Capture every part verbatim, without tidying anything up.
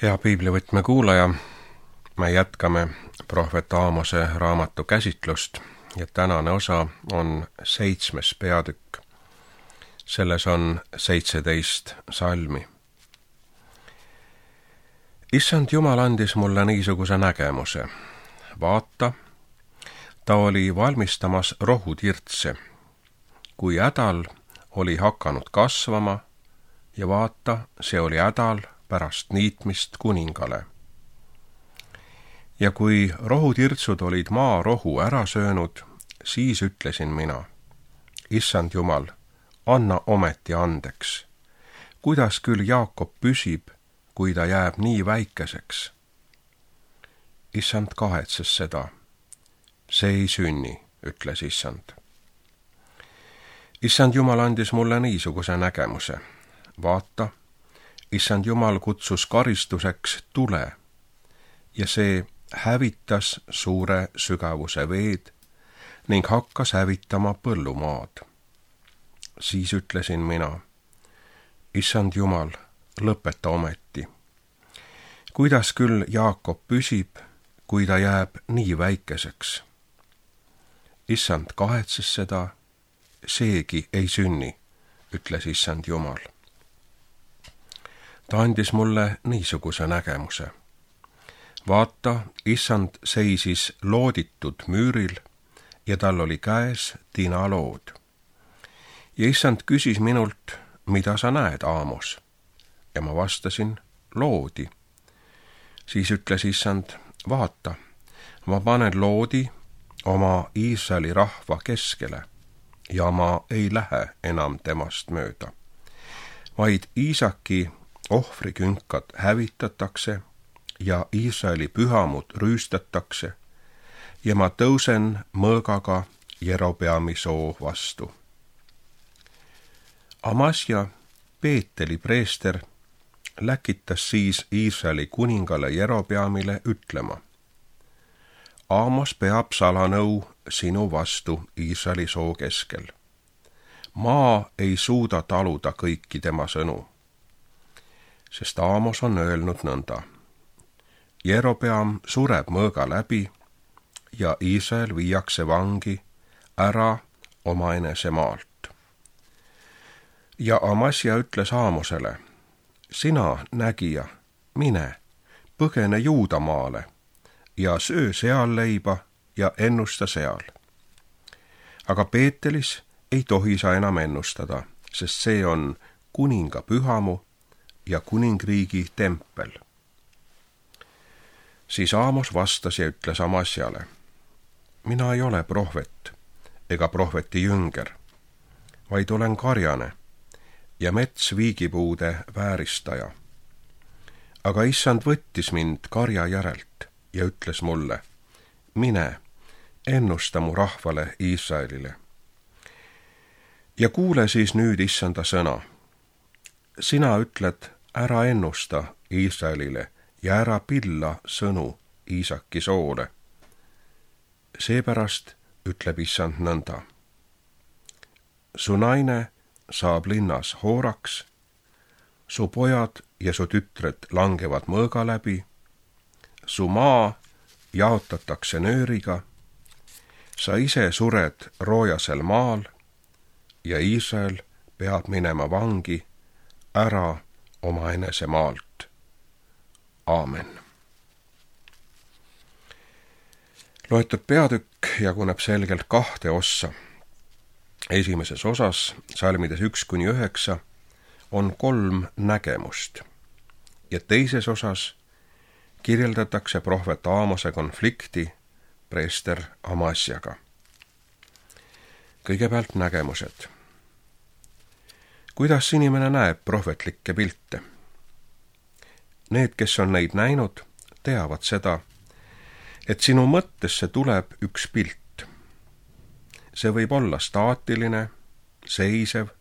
Hea piiblivõtme kuulaja, me jätkame prohvet Aamose raamatu käsitlust ja tänane osa on seitsmes peatükk. Selles on seitseteist salmi. Issand Jumal andis mulle niisuguse nägemuse. Vaata, ta oli valmistamas rohutirtse, kui hädal oli hakanud kasvama ja vaata, see oli hädal pärast niitmist kuningale. Ja kui rohutirtsud olid maa rohu ära söönud, siis ütlesin mina, Issand Jumal, anna ometi andeks. Kuidas küll Jaakob püsib, kui ta jääb nii väikeseks? Issand kahetses seda. See ei sünni, ütles Issand. Issand Jumal andis mulle niisuguse nägemuse. Vaata, Issand Jumal kutsus karistuseks tule ja see hävitas suure sügavuse veed ning hakkas hävitama põllumaad. Siis ütlesin mina, Issand Jumal, lõpeta ometi. Kuidas küll Jaakob püsib, kui ta jääb nii väikeseks? Issand kahetses seda, seegi ei sünni, ütles Issand Jumal. Ta andis mulle niisuguse nägemuse. Vaata, Issand seisis looditud müüril ja tal oli käes tinalood. Ja Issand küsis minult, mida sa näed, Aamos? Ja ma vastasin, loodi. Siis ütles Issand, vaata, ma panen loodi oma Iisraeli rahva keskele ja ma ei lähe enam temast mööda, vaid Iisaki ohvrikünkad hävitatakse ja Iisraeli pühamud rüüstatakse ja ma tõusen mõõgaga Jerobeami soo vastu. Amasja, Peeteli preester, läkitas siis Iisraeli kuningale Jerobeamile ütlema, Aamos peab salanõu sinu vastu Iisraeli soo keskel. Maa ei suuda taluda kõiki tema sõnu, sest Aamos on öelnud nõnda. Jerobeam sureb mõõga läbi ja Iisrael viiakse vangi ära omaenese maalt. Ja Amasja ütles Aamosele, sina, nägija, mine, põgene Juudamaale ja söö seal leiba ja ennusta seal. Aga Peetelis ei tohi sa enam ennustada, sest see on kuninga pühamu ja kuningriigi tempel. Siis Aamos vastas ja ütles Amasjale, mina ei ole prohvet ega prohveti jünger, vaid olen karjane ja mets viigipuude vääristaja. Aga Issand võttis mind karja järelt ja ütles mulle, mine, ennusta mu rahvale Iisraelile. Ja kuule siis nüüd Issanda sõna. Sina ütled, ära ennusta Iisraelile ja ära pilla sõnu Iisaki soole. Seepärast ütleb Issand nõnda. Su naine saab linnas hooraks, su pojad ja su tütred langevad mõõga läbi, su maa jaotatakse nööriga, sa ise sured roojasel maal ja Iisrael peab minema vangi ära omaenese maalt. Aamen. Loetud peatükk jaguneb selgelt kahte ossa. Esimeses osas, salmides üks kuni üheksa, on kolm nägemust ja teises osas kirjeldatakse prohvet Aamose konflikti preester Amasjaga. Kõigepealt nägemused. Kuidas inimene näeb prohvetlikke pilte? Need, kes on neid näinud, teavad seda, et sinu mõttesse tuleb üks pilt. See võib olla staatiline, seisev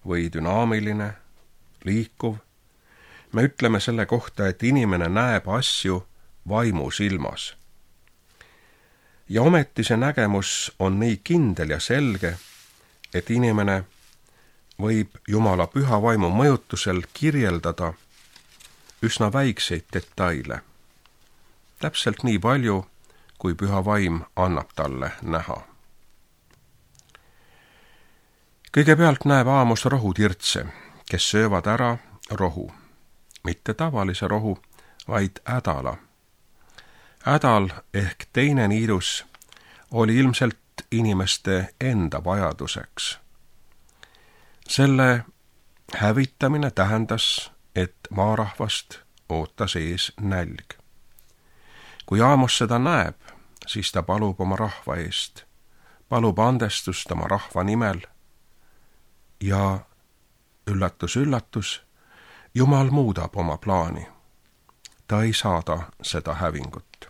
või dünaamiline, liikuv. Me ütleme selle kohta, et inimene näeb asju vaimu silmas. Ja ometi see nägemus on nii kindel ja selge, et inimene võib Jumala püha vaimu mõjutusel kirjeldada üsna väikseid detaile. Täpselt nii palju, kui Püha Vaim annab talle näha. Kõigepealt näeb Aamos rohutirtse, kes söövad ära rohu. Mitte tavalise rohu, vaid ädala. Ädal ehk teine niidus oli ilmselt inimeste enda vajaduseks. Selle hävitamine tähendas, et maarahvast ootas ees nälg. Kui Aamos seda näeb, siis ta palub oma rahva eest, palub andestust oma rahva nimel ja üllatus, üllatus, Jumal muudab oma plaani. Ta ei saada seda hävingut.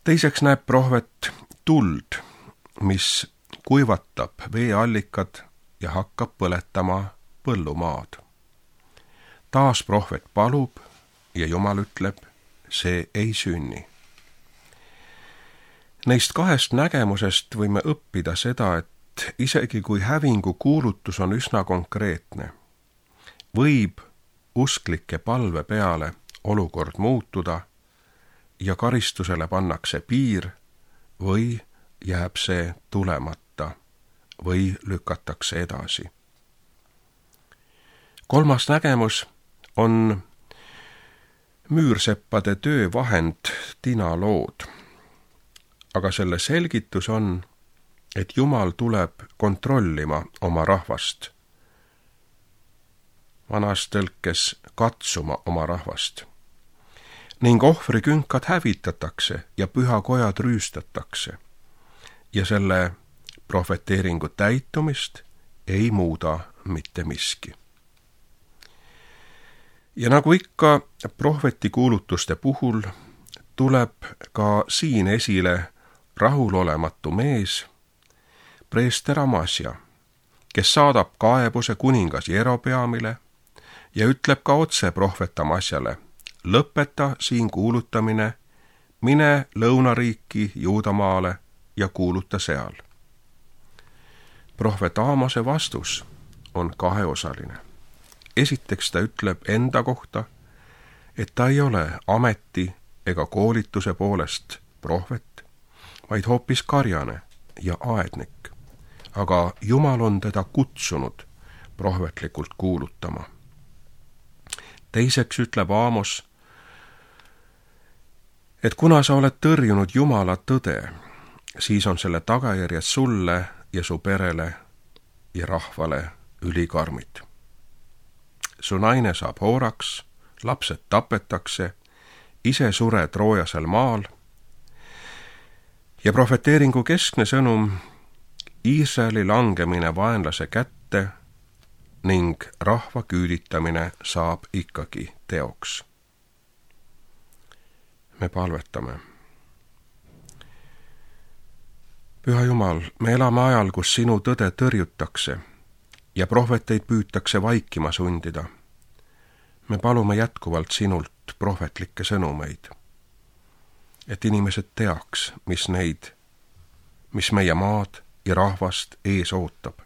Teiseks näeb prohvet tuld, mis kuivatab veeallikad ja hakkab põletama põllumaad. Taas prohvet palub ja Jumal ütleb, see ei sünni. Neist kahest nägemusest võime õppida seda, et isegi kui hävingu kuulutus on üsna konkreetne, võib usklike palve peale olukord muutuda ja karistusele pannakse piir või jääb see tulemata või lükatakse edasi. Kolmas nägemus on müürseppade töövahend tinalood, aga selle selgitus on, et Jumal tuleb kontrollima oma rahvast. Vanas tõlkes katsuma oma rahvast. Ning ohvrikünkad hävitatakse ja pühakojad rüüstatakse. Ja selle prohveteeringu täitumist ei muuda mitte miski. Ja nagu ikka prohvetikuulutuste puhul tuleb ka siin esile rahulolematu mees, preester Amasja, kes saadab kaebuse kuningas Jerobeamile ja ütleb ka otse prohvet Amasjale, lõpeta siin kuulutamine, mine lõunariiki Juudamaale ja kuuluta seal. Prohvet Aamose vastus on kaheosaline. Esiteks ta ütleb enda kohta, et ta ei ole ameti ega koolituse poolest prohvet, vaid hoopis karjane ja aednik. Aga Jumal on teda kutsunud prohvetlikult kuulutama. Teiseks ütleb Aamos, et kuna sa oled tõrjunud Jumala tõde, siis on selle tagajärjed sulle ja su perele ja rahvale ülikarmid. Su naine saab hooraks, lapsed tapetakse, ise sure Troojasel maal ja prohveteeringu keskne sõnum Iisraeli langemine vaenlase kätte ning rahva küüditamine saab ikkagi teoks. Me palvetame. Püha Jumal, me elame ajal, kus sinu tõde tõrjutakse ja prohveteid püütakse vaikima sundida. Me palume jätkuvalt sinult prohvetlikke sõnumeid, et inimesed teaks, mis neid, mis meie maad ja rahvast ees ootab.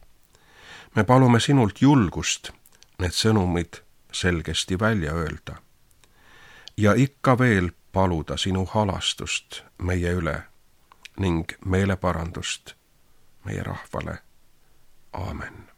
Me palume sinult julgust need sõnumid selgesti välja öelda ja ikka veel paluda sinu halastust meie üle ning meeleparandust meie rahvale. Aamen.